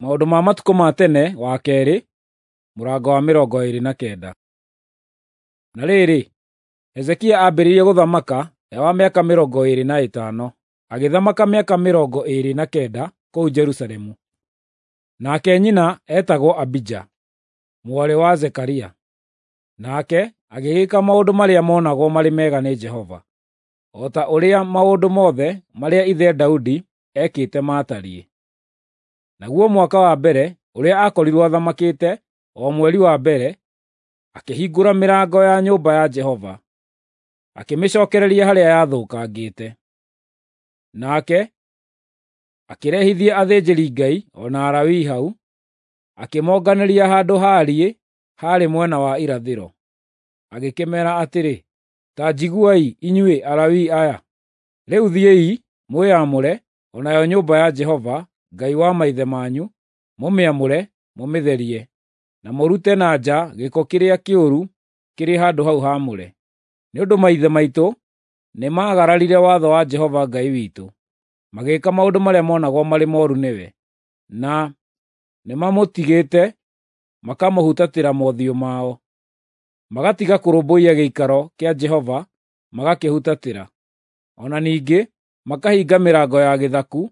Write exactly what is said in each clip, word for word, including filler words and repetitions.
Maũndũ ma matukũ ma tene wa keerĩ, mũrango wa mĩrongo ĩĩrĩ na kenda. Na rĩrĩ, Hezekia aambĩrĩirie gũthamaka e wa mĩaka mĩrongo ĩĩrĩ na ĩtano, agĩthamaka mĩaka mĩrongo ĩĩrĩ na kenda kũu Jerusalemu. Nake nyina eetagwo Abija, mwarĩ wa Zekaria. Nake agĩgĩka maũndũ marĩa monagwo marĩ mega nĩ Jehova, o ta ũrĩa maũndũ mothe marĩa ithe Daudi eekĩte maatariĩ. Naguo mwaka wa mbere ũrĩa aakorirwo athamakĩte, o mweri wa mbere, akĩhingũra mĩrango ya nyũmba ya Jehova, akĩmĩcookereria harĩa yathũkangĩte. Nake akĩrehithia athĩnjĩri-Ngai o na Alawii hau, akĩmonganĩria handũ haariĩ haarĩ mwena wa irathĩro. Agĩkĩmeera atĩrĩ, “Ta njiguai, inyuĩ Alawii aya! Rĩu thiĩi mwĩamũre, o nayo nyũmba ya Jehova, Ngai wa maithe manyu, mũmĩamũre, mũmĩtherie, na mũrute na nja gĩko kĩrĩa kĩũru kĩrĩ handũ hau haamũre. Nĩ ũndũ maithe maitũ nĩmagararire watho wa Jehova Ngai witũ, magĩĩka maũndũ marĩa monagwo marĩ mooru nĩwe, na nĩmamũtigĩte makamũhutatĩra mothiũ mao, magatiga kũrũmbũiya gĩikaro kĩa Jehova magakĩhutatĩra. O na ningĩ makahinga mĩrango ya gĩthaku,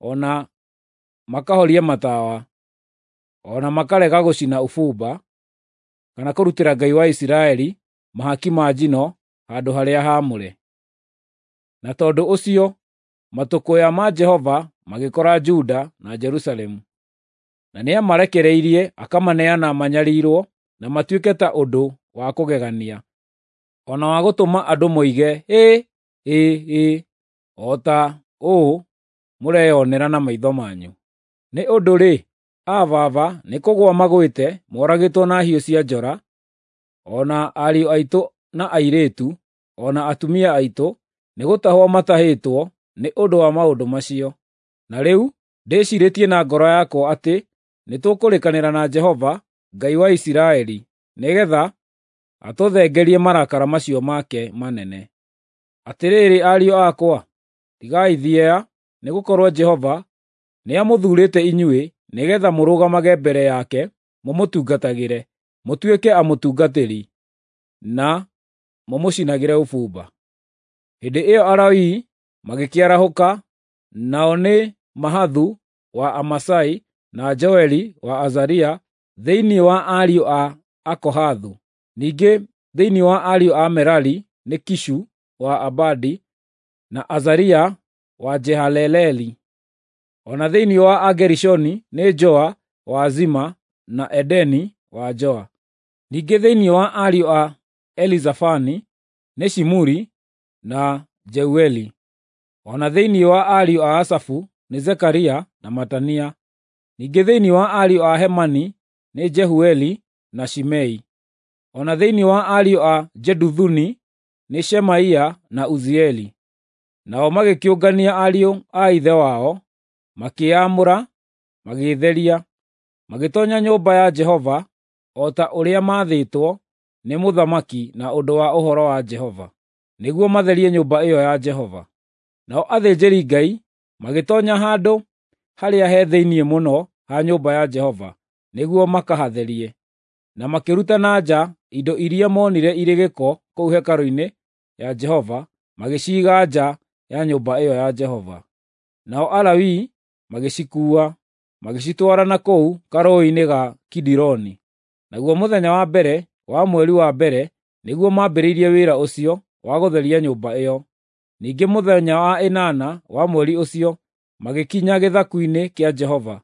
o na makahoria matawa, o na makarega gũcina ũbumba, kana kũrutĩra Ngai wa Isiraeli mahaki ma njino handũ harĩa haamũre. Na tondũ ũcio matũkũya ma Jehova magĩkora Juda na Jerusalemu, na nĩamarekereirie akamaneana manyariirwo na matuĩke ta ũndũ wa kũgegania, o na wa gũtũma andũ moige, “Hĩ! Hĩ! Hĩ!” o ta ũũ mũreyonera na maitho manyu. Nĩ ũndũ-rĩ, aa baba nĩkũgũa magwĩte moragĩtwo na hiũ cia njora, o na ariũ aitũ na airĩtu, o na atumia aitũ nĩgũtahwo matahĩtwo nĩ ũndũ wa maũndũ macio. Na rĩu ndĩciirĩtie na ngoro yakwa atĩ nĩtũkũrĩkanĩra na Jehova, Ngai wa Isiraeli, nĩgeetha atũthengerie marakara macio make manene. Atĩrĩrĩ ariũ akwa, tigai thieya, nĩgũkorwo Jehova nĩamũthuurĩte inyuĩ nĩgeetha mũrũgamage mbere yake mũmũtungatagĩre, mũtuĩke amũtungatĩri, na mũmũcinagĩre ũbumba.” Hĩndĩ ĩyo Alawii magĩkĩarahũka, nao nĩ Mahathu wa Amasai na Joeli wa Azaria thĩinĩ wa ariũ a Akohathu. Ningĩ thĩinĩ wa ariũ a Merari nĩ Kishu wa Abadi na Azaria wa Jehaleleli. O na thĩinĩ wa Agerishoni nĩ Joa wa Zima na Edeni wa Joa. Ningĩ thĩinĩ wa ariũ a Elizafani nĩ Shimuri na Jeueli. O na thĩinĩ wa ariũ a Asafu nĩ Zekaria na Matania. Ningĩ thĩinĩ wa ariũ a Hemani nĩ Jehueli na Shimei. O na thĩinĩ wa ariũ a Jeduthuni nĩ Shemaia na Uzieli. Nao magĩkĩũngania ariũ a ithe wao, makĩĩamũra, magĩĩtheria, magĩtoonya nyũmba ya Jehova o ta ũrĩa maathĩtwo nĩ mũthamaki na ũndũ wa ũhoro wa Jehova, nĩguo matherie nyũmba ĩyo ya Jehova. Nao athĩnjĩri-Ngai magĩtoonya handũ harĩa he thĩinĩ mũno ha nyũmba ya Jehova nĩguo makahatherie, na makĩruta na nja indo iria moonire irĩ gĩko kũu hekarũ-inĩ ya Jehova, magĩciiga nja ya nyũmba ĩyo ya Jehova. Nao Alawii magĩcikuua, magĩcitwara na kũu karũũĩ-inĩ ga Kidironi. Naguo mũthenya wa mbere wa mweri wa mbere nĩguo maambĩrĩirie wĩra ũcio wa gũtheria nyũmba ĩyo. Ningĩ mũthenya wa ĩnana wa mweri ũcio magĩkinya gĩthaku-inĩ kĩa Jehova.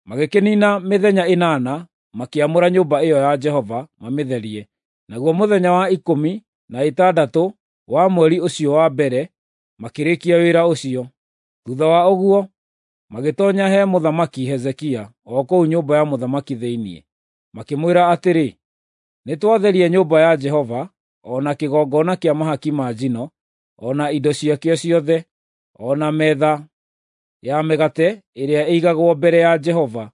Magĩkĩniina mĩthenya ĩnana makĩamũra nyũmba ĩyo ya Jehova mamĩtherie. Naguo mũthenya wa ikũmi na ĩtandatũ wa mweri ũcio wa mbere makĩrĩkia wĩra ũcio. Thuutha wa ũguo magĩtoonya he Mũthamaki Hezekia o kũu nyũmba ya mũthamaki thĩinĩ, makĩmwĩra atĩrĩ, “Nĩtwatheria nyũmba ya Jehova, o na kĩgongona kĩa mahaki ma njino, o na indo ciakĩo ciothe, o na metha ya mĩgate ĩrĩa ĩigagwo mbere ya Jehova,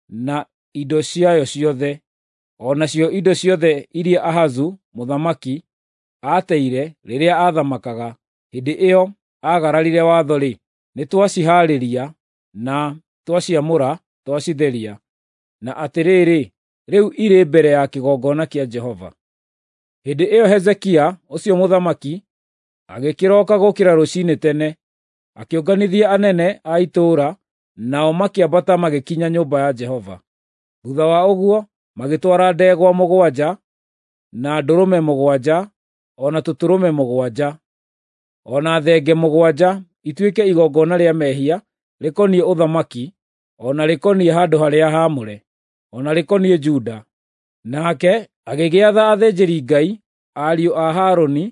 na indo ciayo ciothe, o nacio indo ciothe iria Ahazu mũthamaki aateire rĩrĩa aathamakaga hĩndĩ ĩyo aagararire watho-rĩ, nĩtwacihaarĩria na twaciamũra twacitheria, na atĩrĩrĩ, rĩu irĩ mbere ya kĩgongona kĩa Jehova. Hĩndĩ ĩyo Hezekia ũcio mũthamaki agĩkĩroka gũkĩra rũciinĩ tene, akĩũnganithia anene a itũũra, nao makĩambata magĩkinya nyũmba ya Jehova. Thuutha wa ũguo magĩtwara ndegwa mũgwanja, na ndũrũme mũgwanja, o na tũtũrũme mũgwanja, o na thenge mũgwanja ituĩke igongona rĩa mehia rĩkoniĩ ũthamaki, o na rĩkoniĩ handũ-harĩa-haamũre, o na rĩkoniĩ Juda. Nake agĩgĩatha athĩnjĩri-Ngai, ariũ a Harũni,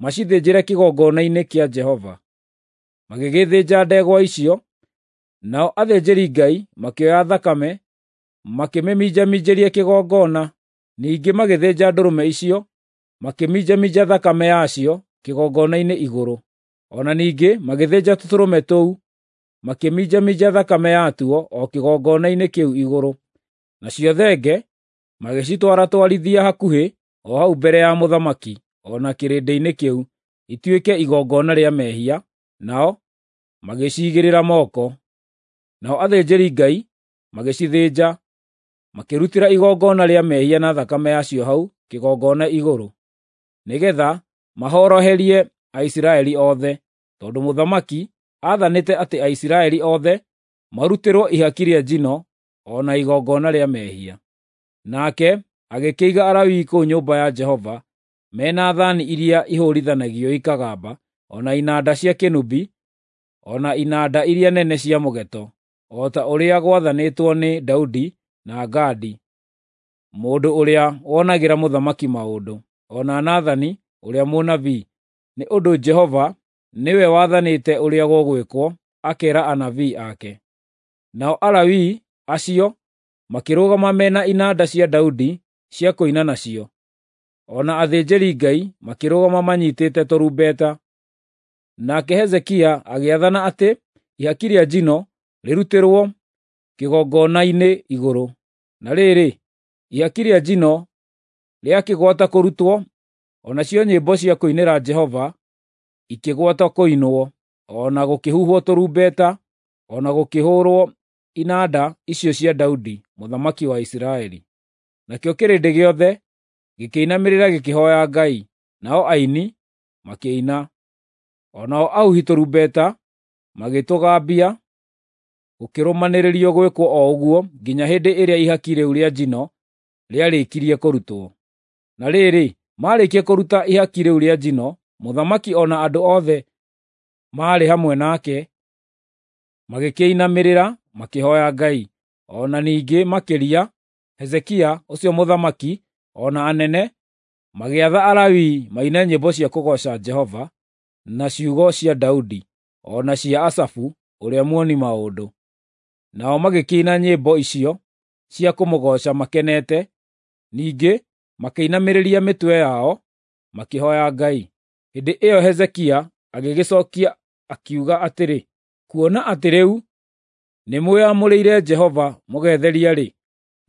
macithĩnjĩre kĩgongona-inĩ kĩa Jehova. Magĩgĩthĩnja ndegwa icio, nao athĩnjĩri-Ngai makĩoya thakame, makĩmĩminjaminjĩria kĩgongona. Ningĩ magĩthĩnja ndũrũme icio, makĩminjaminja thakame yacio kĩgongona-inĩ igũrũ. O na ningĩ magĩthĩnja tũtũrũme tũu, makĩminjaminja thakame yatuo o kĩgongona-inĩ kĩu igũrũ. Nacio thenge magĩcitwaratwarithia hakuhĩ o hau mbere ya mũthamaki o na kĩrĩndĩ-inĩ kĩu, ituĩke igongona rĩa mehia, nao magĩciigĩrĩra moko. Nao athĩnjĩri-Ngai magĩcithĩnja, makĩrutĩra igongona rĩa mehia na thakame yacio hau kĩgongona igũrũ, nĩgeetha mahoroherie Aisiraeli othe, tondũ mũthamaki aathanĩte atĩ Aisiraeli othe marutĩrwo ihaki rĩa njino o na igongona rĩa mehia. Nake agĩkĩiga Alawii kũu nyũmba ya Jehova me na thaani iria ihũũrithanagio ikagamba, o na inanda cia kĩnũbi, o na inanda iria nene cia mũgeeto, o ta ũrĩa gwathanĩtwo nĩ Daudi na Gadi, mũndũ ũrĩa wonagĩra mũthamaki maũndũ, o na Nathani ũrĩa mũnabii, nĩ ũndũ Jehova nĩwe wathanĩte ũrĩa gũgwĩkwo, akeera anabii ake. Nao Alawii acio makĩrũgama me na inanda cia Daudi cia kũina nacio, o na athĩnjĩri-Ngai makĩrũgama manyiitĩte tũrumbeta. Nake Hezekia agĩathana atĩ ihaki rĩa njino rĩrutĩrwo kĩgongona-inĩ igũrũ. Na rĩrĩ, ihaki rĩa njino rĩakĩgwata kũrutwo, o nacio nyĩmbo cia kũinĩra Jehova ikĩgwata kũinwo, o na gũkĩhuhwo tũrumbeta, o na gũkĩhũũrwo inanda icio cia Daudi mũthamaki wa Isiraeli. Nakĩo kĩrĩndĩ gĩothe gĩkĩinamĩrĩra gĩkĩhooya Ngai, nao aini makĩina. O nao ahuhi tũrumbeta magĩtũgambia, gũkĩrũmanĩrĩrio gwĩkwo o ũguo nginya hĩndĩ ĩrĩa ihaki rĩu rĩa njino rĩarĩkirie kũrutwo. Na rĩrĩ, maarĩkia kũruta ihaki rĩu rĩa njino, mũthamaki o na andũ othe maarĩ hamwe nake magĩkĩinamĩrĩra makĩhooya Ngai. O na ningĩ makĩria, Hezekia ũcio mũthamaki o na anene magĩatha Alawii maine nyĩmbo cia kũgooca Jehova na ciugo cia Daudi o na cia Asafu ũrĩa muoni maũndũ. Nao magĩkĩina nyĩmbo icio cia kũmũgooca makenete, ningĩ makĩinamĩrĩria mĩtwe yao makĩhooya Ngai. Hĩndĩ ĩyo Hezekia agĩgĩcookia akiuga atĩrĩ, “Kuona atĩ rĩu nĩmwĩamũrĩire Jehova mũgetheria-rĩ,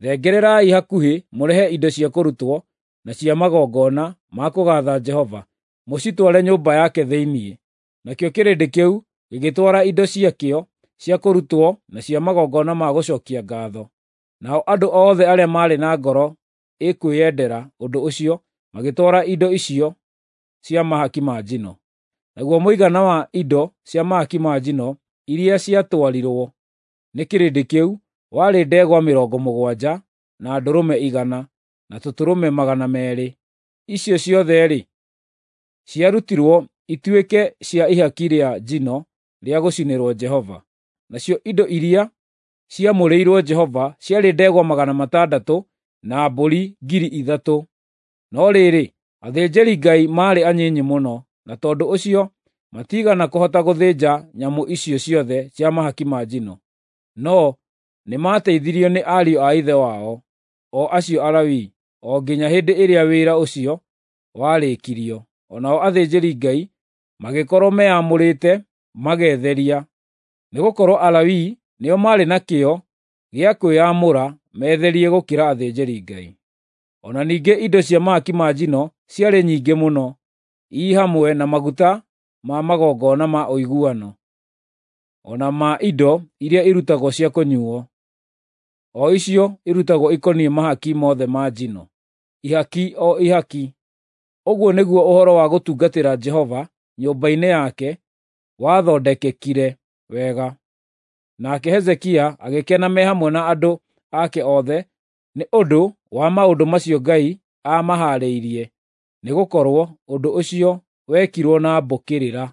thengererai hakuhĩ mũrehe indo cia kũrutwo na cia magongona ma kũgaatha Jehova, mũcitware nyũmba yake thĩinĩ.” Nakĩo kĩrĩndĩ kĩu gĩgĩtwara indo ciakĩo cia kũrutwo na cia magongona ma gũcookia ngaatho. Nao andũ othe arĩa maarĩ na ngoro ĩkwĩyendera ũndũ ũcio magĩtwara indo icio cia mahaki ma njino. Naguo mũigana wa indo cia mahaki ma njino iria ciatwarirwo nĩ kĩrĩndĩ kĩu warĩ ndegwa mĩrongo mũgwanja, na ndũrũme igana, na tũtũrũme magana meerĩ. Icio ciothe-rĩ, ciarutirwo ituĩke cia ihaki rĩa njino rĩa gũcinĩrwo Jehova. Nacio indo iria ciamũrĩirwo Jehova ciarĩ ndegwa magana matandatũ na mbũri ngiri ithatũ. No rĩrĩ, athĩnjĩri-Ngai maarĩ anyinyi mũno, na tondũ ũcio matiigana kũhota gũthĩnja nyamũ icio ciothe cia mahaki ma njino. No nĩmateithirio nĩ ariũ a ithe wao, o acio Alawii, o nginya hĩndĩ ĩrĩa wĩra ũcio warĩkirio. O nao athĩnjĩri-Ngai magĩkorwo meamũrĩte magetheria, nĩgũkorwo Alawii nĩo maarĩ na kĩyo gĩa kwĩyamũra metherie gũkĩra athĩnjĩri-Ngai. O na ningĩ indo cia mahaki ma njino ciarĩ nyingĩ mũno, ii hamwe na maguta ma magongona ma ũiguano, o na ma indo iria irutagwo cia kũnyuuo. o icio irutagwo ikoniĩ mahaki mothe ma njino, ihaki o ihaki. Ũguo nĩguo ũhoro wa gũtungatĩra Jehova nyũmba-inĩ yake wathondekekire wega. Nake Hezekia agĩkena me hamwe na andũ ake othe nĩ ũndũ wa maũndũ macio Ngai aamahaarĩirie, nĩgũkorwo ũndũ ũcio wekirwo na mbũkĩrĩra.